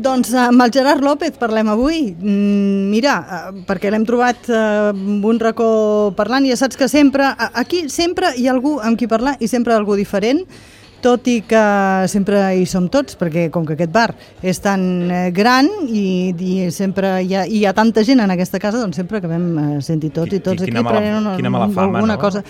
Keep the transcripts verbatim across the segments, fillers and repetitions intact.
Doncs amb el Gerard López parlem avui. Mm, mira, perquè l'hem trobat en un racó parlant i ja saps que sempre, aquí sempre hi ha algú amb qui parlar i sempre algú diferent, tot i que sempre hi som tots, perquè com que aquest bar és tan gran i, i sempre hi ha, hi ha tanta gent en aquesta casa, doncs sempre acabem sentir tots i tots I, i aquí prenent una, quina mala fama, alguna no? cosa.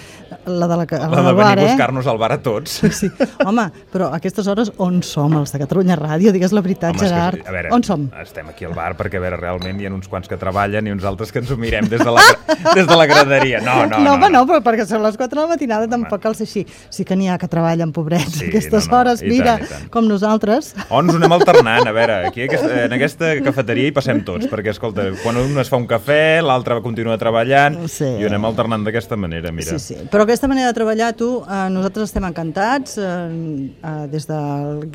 La de, la, la la de bar, venir a eh? buscar-nos al bar a tots. Sí. Home, però a aquestes hores on som, els de Catalunya Ràdio? Digues la veritat, Home, Gerard. Que, a veure, on som? Estem aquí al bar perquè, a veure, realment hi ha uns quants que treballen i uns altres que ens ho mirem des de la, des de la graderia. No, no, no. No, home, no, no, però perquè són les quatre de la matinada tampoc cal ser així. Sí que n'hi ha que treballen, pobrets, Sí, aquestes no, no, hores, i mira, tant, i tant. com nosaltres. O ens ho anem alternant, a veure, aquí aquesta, en aquesta cafeteria hi passem tots, perquè, escolta, quan un es fa un cafè, l'altre continua treballant, Sí. i ho anem alternant d'aquesta manera, mira. Sí, sí, però aquesta manera de treballar, tu, eh, nosaltres estem encantats, eh, eh, des, de,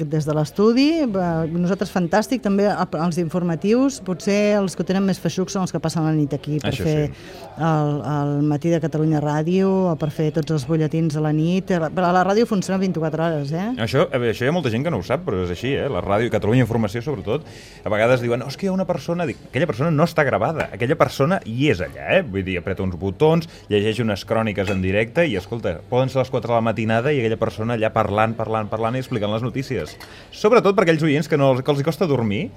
des de l'estudi, eh, nosaltres fantàstic, també els informatius, potser els que tenen més feixucs són els que passen la nit aquí per Això fer sí. el, el matí de Catalunya Ràdio, o per fer tots els butlletins a la nit, però la ràdio funciona vint-i-quatre hores, eh? Això, a veure, això hi ha molta gent que no ho sap, però és així, eh? La ràdio i Catalunya Informació, sobretot, a vegades diuen, no, és que hi ha una persona, dic, aquella persona no està gravada, aquella persona hi és allà, eh? Vull dir, apreta uns botons, llegeix unes cròniques en directe i, escolta, poden ser les quatre de la matinada i aquella persona allà parlant, parlant, parlant i explicant les notícies. Sobretot per aquells oients que, no, que els hi costa dormir.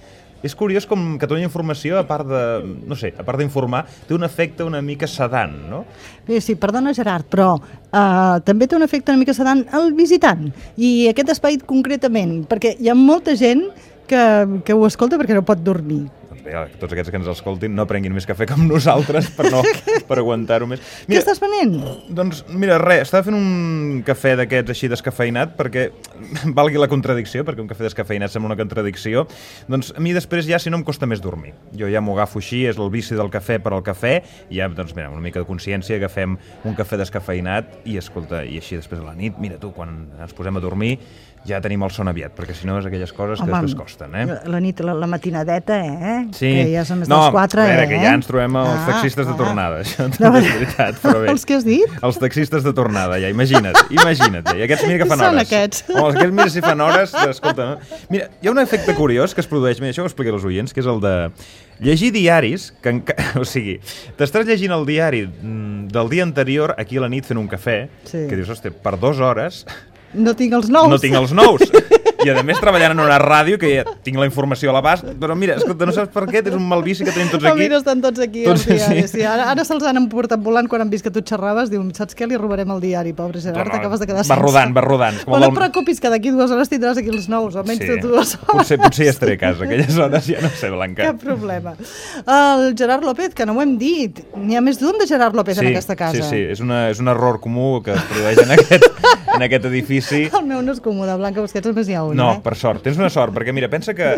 És curiós com Catalunya Informació, a part de, no sé, a part d'informar, té un efecte una mica sedant, no? Sí, sí, perdona, Gerard, però uh, també té un efecte una mica sedant el visitant, i aquest espai concretament, perquè hi ha molta gent que, que ho escolta perquè no pot dormir. Doncs bé, tots aquests que ens escoltin no prenguin més cafè com nosaltres per, no, per aguantar-ho més. Mira, què estàs venent? Doncs, mira, res, estava fent un cafè d'aquests així descafeinat perquè valgui la contradicció, perquè un cafè descafeinat sembla una contradicció. Doncs a mi després ja, si no, em costa més dormir. Jo ja m'ho agafo així, és el vici del cafè per al cafè, i ja, doncs, mira, una mica de consciència, agafem un cafè descafeinat i, escolta, i així després a la nit, mira tu, quan ens posem a dormir, ja tenim el son aviat, perquè si no és aquelles coses que Home, després costen, eh? La nit, la, la matinadeta, eh? Sí. Que ja són més no, dels quatre, a veure, eh? que ja ens trobem els ah, taxistes de ah. tornada, això també és veritat, però bé. Els que has dit? Els taxistes de tornada, ja, imagina't, imagina't, ja. I aquests mira que fan Són hores. aquests. O aquests mira si fan hores, escolta, no? Mira, hi ha un efecte curiós que es produeix, mira, això ho explico als oients, que és el de llegir diaris, que enca... o sigui, t'estàs llegint el diari del dia anterior aquí a la nit fent un cafè, sí. que dius, hòstia, per dues hores... No tinc els nous. No tinc els nous. I a més treballant en una ràdio que ja tinc la informació a l'abast, però mira, escolta, no saps per què, és un mal vici que tenim tots aquí. Mira, estan tots aquí tots, al diari. Sí. Sí, ara ara se'ls han emportat volant quan han vist que tu xerraves, diu, saps què, li robarem el diari, pobre Gerard, no, t'acabes de quedar va sense. rodant, va rodant. Però no et preocupis, que d'aquí dues hores tindràs aquí els nous, almenys sí. dues hores. Potser, potser ja estaré a casa, aquelles hores ja no sé, Blanca. Cap problema. El Gerard López, que no ho hem dit, n'hi ha més d'un de Gerard López sí, en aquesta casa. Sí, sí, és, una, és un error comú que es produeix en aquest, en aquest edifici. El meu no és comú, de Blanca Busquets només hi ha un, no, eh? per sort, tens una sort, perquè mira, pensa que,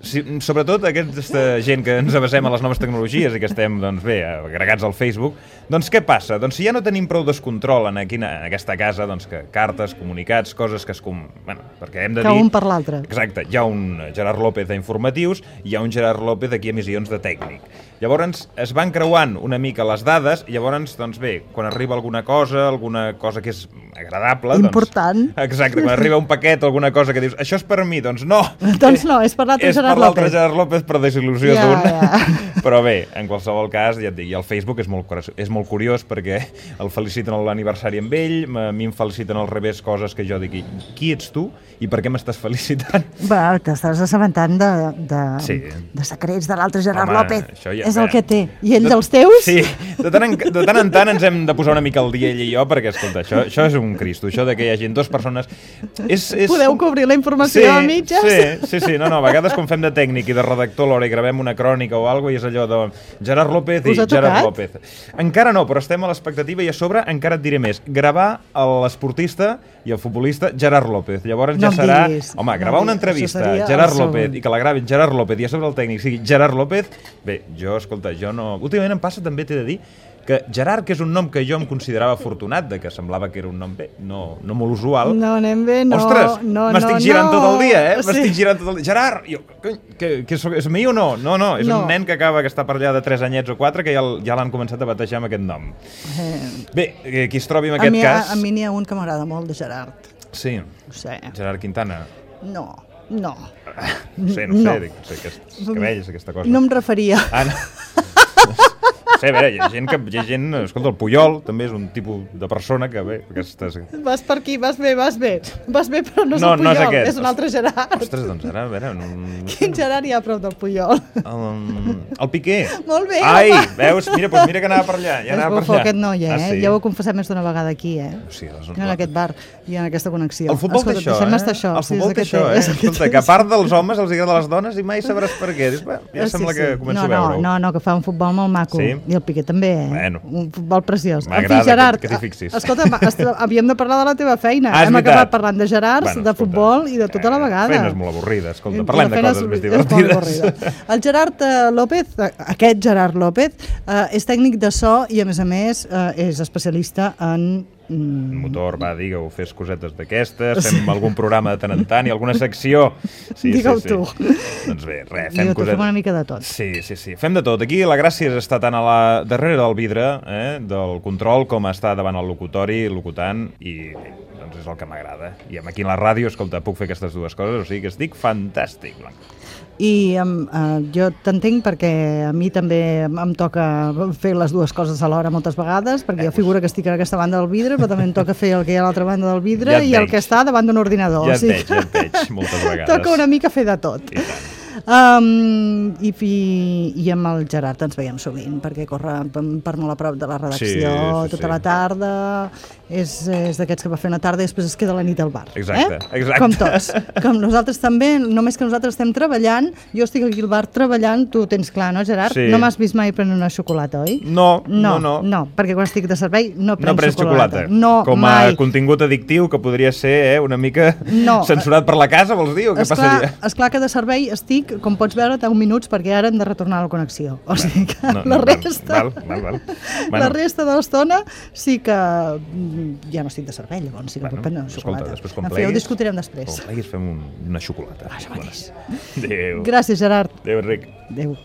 si, sobretot aquesta gent que ens avasem a les noves tecnologies i que estem, doncs bé, agregats al Facebook, doncs què passa? Doncs si ja no tenim prou descontrol en, aquí, en aquesta casa, doncs que cartes, comunicats, coses que es... Com... Bueno, perquè hem de que dir... un per l'altre. Exacte, hi ha un Gerard López d'informatius i hi ha un Gerard López aquí a emissions de tècnic. Llavors es van creuant una mica les dades i llavors, doncs bé, quan arriba alguna cosa, alguna cosa que és agradable... Important. Doncs, exacte, quan arriba un paquet o alguna cosa que dius, això és per mi, doncs no. Doncs no, és per l'altre Gerard López. És per l'altre Gerard López per desil·lusió ja, d'un. Ja. Però bé, en qualsevol cas, ja et dic, i el Facebook és molt, és molt curiós perquè el feliciten l'aniversari amb ell, a mi em feliciten al revés coses que jo dic, qui ets tu i per què m'estàs felicitant? Va, t'estàs assabentant de, de, sí. de secrets de l'altre Gerard Home, López. Ja, és el que té. I ell de, dels teus? Sí, de tant, en, de tant en tant ens hem de posar una mica al dia ell i jo, perquè, escolta, això, això és un cristo, això de que hi hagi dues persones... És, és... Podeu cobrir la informació sí, a mitges? Sí, sí, sí, no, no, a vegades quan fem de tècnic i de redactor alhora i gravem una crònica o alguna cosa i és allò de Gerard López i Gerard López. Encara no, però estem a l'expectativa i a sobre encara et diré més. Gravar l'esportista i el futbolista Gerard López. Llavors no ja serà... Diguis, home, gravar no una entrevista a Gerard López i que la gravin Gerard López i a sobre el tècnic sigui Gerard López, bé, jo, escolta, jo no... Últimament em passa també, t'he de dir, que Gerard, que és un nom que jo em considerava afortunat, de que semblava que era un nom bé, no, no molt usual. No, anem bé, no. Ostres, no, m'estic no, girant no. tot el dia, eh? Sí. M'estic girant tot el dia. Gerard! Jo, que, que, que és, és mi o no? No, no, és no. un nen que acaba, que està per allà de tres anyets o quatre, que ja, ja l'han començat a batejar amb aquest nom. Eh. Bé, qui es trobi en aquest a mi, cas... A, a mi n'hi ha un que m'agrada molt, de Gerard. Sí, Ho sé. Gerard Quintana. No. No. No sé, no, No. sé, dic, no sé, aquests cabells, aquesta cosa. No em referia. Ah, no. No sé, a veure, hi ha gent que... Hi ha gent, escolta, el Puyol també és un tipus de persona que, bé, aquestes... Vas per aquí, vas bé, vas bé. Vas bé, però no és No, el no és Puyol, aquest. és un altre Gerard. Ostres, doncs ara, a veure... No, no sé. Quin Gerard hi ha a prop del Puyol? El, el Piqué. Molt bé, Ai, home. veus? Mira, doncs mira que anava per allà. Ja És anava per bufó allà. aquest noi, eh? Ah, sí? Ja ho he confessat més d'una vegada aquí, eh? Sí, les... En aquest bar i en aquesta connexió. El futbol Escolta, té això, deixem eh? estar això. El Sí, futbol és té el això, té, eh? és el que Escolta, té. que a part dels homes els agrada les dones i mai sabràs per què. Dius, bé, ja Sí, sembla sí. que començo no, a veure-ho. No, no, no, que fa un futbol molt maco. Sí? I el Piqué també, eh? Bueno. Un futbol preciós. En fi, M'agrada Gerard, que- que t'hi fixis. escolta, va, est- havíem de parlar de la teva feina. Ah, és Hem veritat. acabat parlant de Gerards, Bueno, de escolta, futbol i de tota la eh, vegada. Feina és molt avorrida, escolta. I Parlem la de feina coses és- més és molt divertides. avorrida. El Gerard eh, López, eh, aquest Gerard López, eh, és tècnic de so i, a més a més, eh, és especialista en... mm, Motor, va, digue-ho, fes cosetes d'aquestes, fem algun programa de tant en tant i alguna secció. Sí, Digue-ho sí, sí. tu. Doncs bé, res, I fem tu cosetes. fem una mica de tot. Sí, sí, sí, fem de tot. Aquí la gràcia és estar tant a la darrere del vidre, eh, del control, com estar davant el locutori, locutant, i bé, doncs és el que m'agrada. I aquí a la ràdio, escolta, puc fer aquestes dues coses, o sigui que estic fantàstic, Blanca. I um, uh, jo t'entenc perquè a mi també em, em toca fer les dues coses alhora moltes vegades, perquè jo figuro que estic a aquesta banda del vidre, però també em toca fer el que hi ha a l'altra banda del vidre Ja et i el veig. que està davant d'un ordinador. Ja o et sigui veig, ja et veig, moltes vegades. Toca una mica fer de tot. I tant. Um, i, i, I amb el Gerard ens veiem sovint, perquè corre per, per molt a prop de la redacció Sí, sí, tota sí. la tarda, és, és d'aquests que va fer una tarda i després es queda la nit al bar. Exacte, eh? exacte. Com tots. Com nosaltres també, només que nosaltres estem treballant, jo estic aquí al bar treballant, tu ho tens clar, no, Gerard? Sí. No m'has vist mai prenent una xocolata, oi? No, No, no, no. no, perquè quan estic de servei no prenc No prens xocolata. xocolata. No, Com a mai. contingut addictiu que podria ser eh, una mica No. censurat per la casa, vols dir? O què Esclar, passaria? esclar que de servei estic, com pots veure, deu minuts perquè ara hem de retornar a la connexió. O sigui que No, no, la val, resta, val, val, val. la Bueno. resta de l'estona sí que mm, ja no estic de servei, llavors sí que Bueno, puc prendre una escolta, xocolata. després quan En fi, ho pleguis- discutirem després. Quan pleguis fem un, una xocolata. Això mateix. Adéu. Gràcies, Gerard. Adéu, Enric. Adéu.